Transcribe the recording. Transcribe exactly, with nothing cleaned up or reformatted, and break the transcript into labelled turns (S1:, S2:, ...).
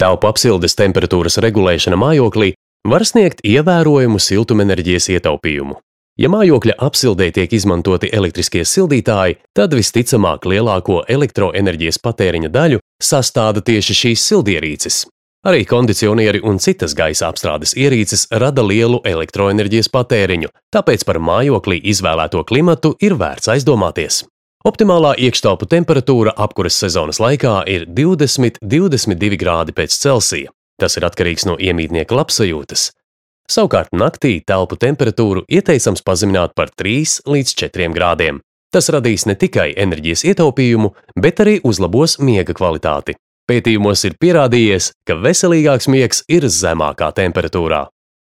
S1: Telpu apsildes temperatūras regulēšana mājoklī var sniegt ievērojumu siltumenerģijas ietaupījumu. Ja mājokļa apsildē tiek izmantoti elektriskie sildītāji, tad visticamāk lielāko elektroenerģijas patēriņa daļu sastāda tieši šīs sildierīces. Arī kondicionieri un citas gaisa apstrādes ierīces rada lielu elektroenerģijas patēriņu, tāpēc par mājoklī izvēlēto klimatu ir vērts aizdomāties. Optimālā iekštelpu temperatūra apkuras sezonas laikā ir divdesmit līdz divdesmit divi grādi pēc Celsija. Tas ir atkarīgs no iemītnieka labsajūtas. Savukārt naktī telpu temperatūru ieteicams pazemināt par trīs līdz četriem grādiem. Tas radīs ne tikai enerģijas ietaupījumu, bet arī uzlabos miega kvalitāti. Pētījumos ir pierādījies, ka veselīgāks miegs ir zemākā temperatūrā.